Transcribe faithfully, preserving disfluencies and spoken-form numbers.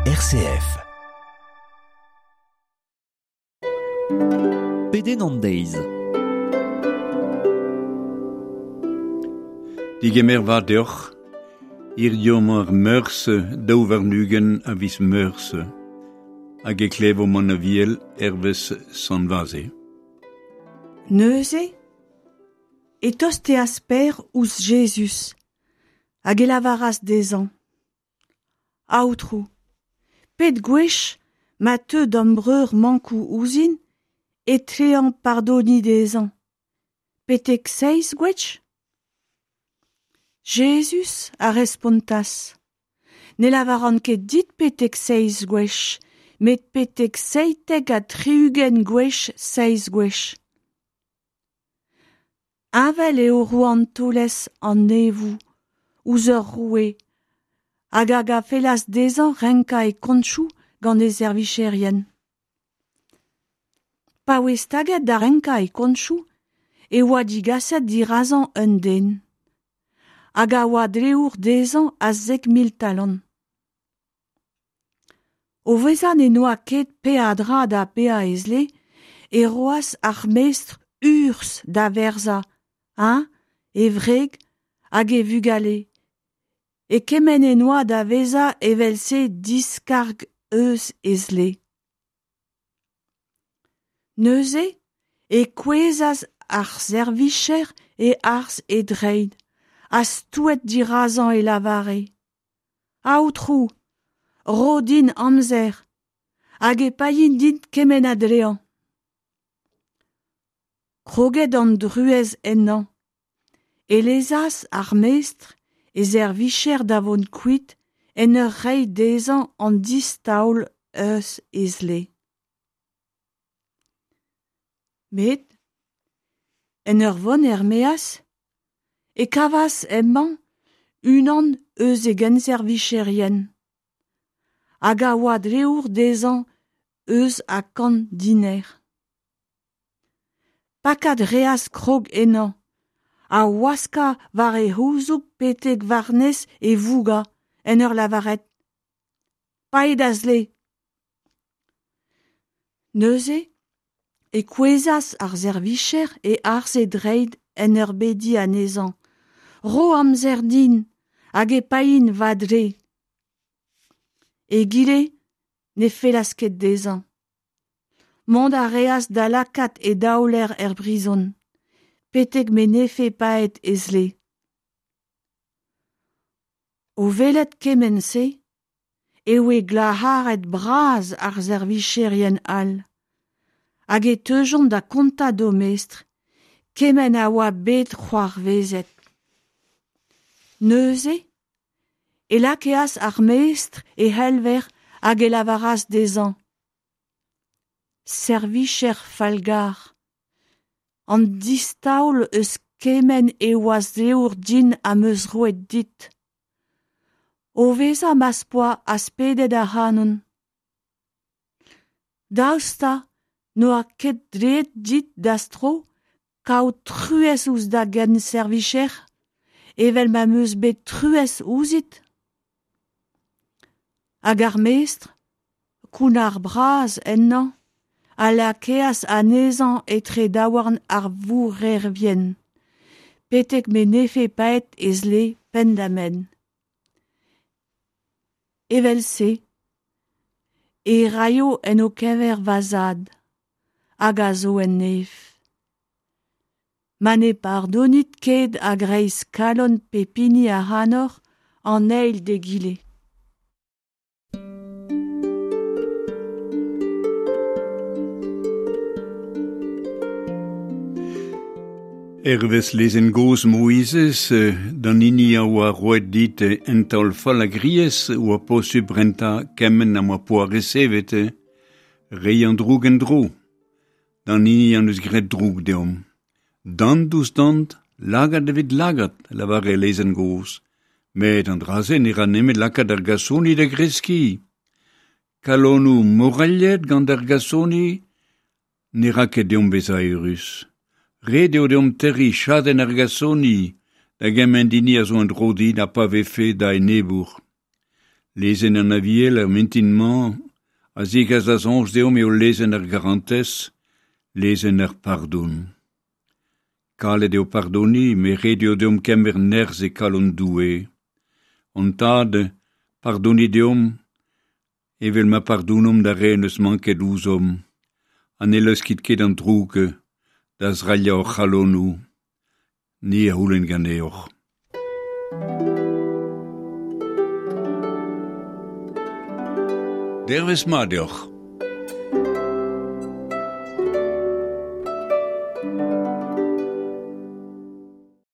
R C F. Pedenn an deiz. Digemer vat deoc'h, hiziv emañ ar Meurzh daou warn-ugent a viz Meurzh, hag e klevomp an Aviel hervez Sant Vaze. Neuze e tosteas Pêr ouzh Jezuz hag e lavaras dezhañ: Aotrou, pet gwech ma teu da'm breur mankoù ouzhin e tlean pardoniñ dezhañ? Betek seizh gwech? Jezuz a respontas: Ne lavaran ket dit betek seizh gwech, met betek seitek ha tri-ugent gwech seizh gwech. Heñvel eo rouantelezh an neñvoù ouzh ur roue hag a fellas dezhañ renkañ e kontoù gant e servijerien. Pa oa staget da renkañ e kontoù e oa degaset dirazañ un den hag a oa dleour dezhañ a zek mil talant. O vezañ n'en doa ket peadra da baeañ e zle e roas ar mestr urzh da werzhañ eñ, e wreg hag e vugale, e kement en doa da vezañ evel-se diskarg eus e zle. Neuze e kouezhas ar servijer e-harz e dreid, ha stouet dirazañ e lavare: Aotrou, ro din amzer, hag e paein dit kement a dlean. Kroget an druez ennañ, e lezas ar mestr e servijer da vont kuit en ur reiñ dezhañ an distaol eus e zle. Met, en ur vont er-maez, e kavas hemañ unan eus e genservijerien, hag a oa dleour dezhañ eus a kant diner. Pakat 'reas krog ennañ, ha waskañ war e c'houzoug betek war-nes e vougañ en ur lavaret: Pae da zle. Neuze e kouezhas ar servijer e-harz e dreid en ur bediñ anezhañ: Ro amzer din hag e paein va dle. Egile ne fellas ket dezhañ. Mont a reas da lakaat e daoler er prizon, betek m'en defe paeet e zle. O welet kement-se e voe glac'haret bras ar servijerien all, hag e teujont da gontañ d'o mestr kement a oa bet c'hoarvezet. Neuze e lakaas ar mestr e c'helver hag e lavaras dezhañ: Servijer fallgar, an distaol eus kement e oas dleour din am eus roet dit. O vezañ ma'z poa aspedet ac'hanon. Daoust ha n'oa ket dleet dit da'z tro kaout truez ouzh da genservijer evel ma'm eus bet truez ouzhit? Hag ar mestr, kounnar bras ennañ, a lakaas anezhañ etre daouarn ar vourrevien, betek m'en defe paeet e zle penn-da-benn. Evel-se e raio en ho keñver va zad, hag a zo en neñv. Ma ne bardonit ket a-greiz kalon pep hini ac'hanoc'h an eil d'egile. Hervez lezenn gozh Moizez, d'an hini a oa roet dit un taol fallagriezh oa posupl rentañ kement ha ma poa resevet, reiñ an droug en-dro. D'an hini en deus graet droug deomp. Dant ouzh dant, lagad evit lagad, lavare lezenn gozh. Met an dra-se ne ra nemet lakaat ar gasoni da greskiñ. Kalonoù morailhet gant ar gasoni ne ra ket deomp bezañ eürus. Ret eo deomp terriñ chadenn ar gasoni da gement hini a zo en-dro dit ha pa vefe da enebour. Lezenn an Aviel ar mintin-mañ a zegas da soñj deomp eo lezenn ar garantez, lezenn ar pardon. Kalet eo pardoniñ, met ret eo deomp kemer nerzh e kalon Doue. Hon Tad, pardonit deomp, evel ma pardonomp d'ar re en deus manket ouzhomp, ha ne laoskit ket an droug da zrailhañ hor c'halonoù. Ni a c'houlenn ganeoc'h. Dervezh mat deoc'h.